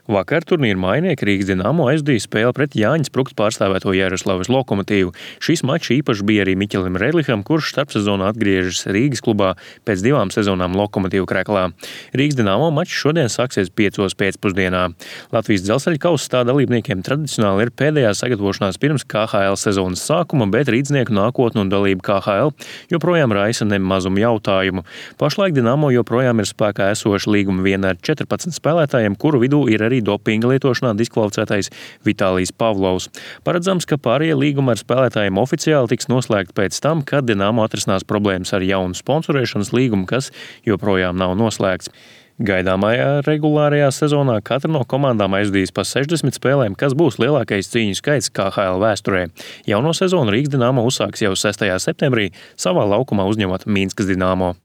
Vakar turnīra mainieki Rīgas Dinamo aizdīja spēli pret Jāņa Sprukts pārstāvēto Jaroslavas Lokomotīvu. Šis mačs īpaši bija arī Miķelim Redliham, kurš starpsezonā atgriežas Rīgas klubā pēc 2 sezonām Lokomotīvu Kreklā. Rīgas Dinamo mačs šodien sāksies 5 pēcpusdienā. Latvijas Dzelzceļa kausa tā dalībniekiem tradicionāli ir pēdējā sagatavošanās pirms KHL sezonas sākuma, bet rīdznieku nākotne un dalība KHL joprojām raisa nemazumu jautājumu. Pašlaik Dinamo joprojām ir spēkā esoša līguma viena ar 14 spēlētājiem, kuru vidū ir arī dopinga lietošanā diskvalificētais Vitālijs Pavlovs. Paredzams, ka pārējie līgumi ar spēlētājiem oficiāli tiks noslēgti pēc tam, kad Dinamo atrisinās problēmas ar jaunu sponsorēšanas līgumu, kas joprojām nav noslēgts. Gaidāmajā regulārajā sezonā katra no komandām aizdīs pa 60 spēlēm, kas būs lielākais cīņu skaits KHL vēsturē. Jauno sezonu Rīgas Dinamo uzsāks jau 6. septembrī, savā laukumā uzņemot Minskas Dinamo.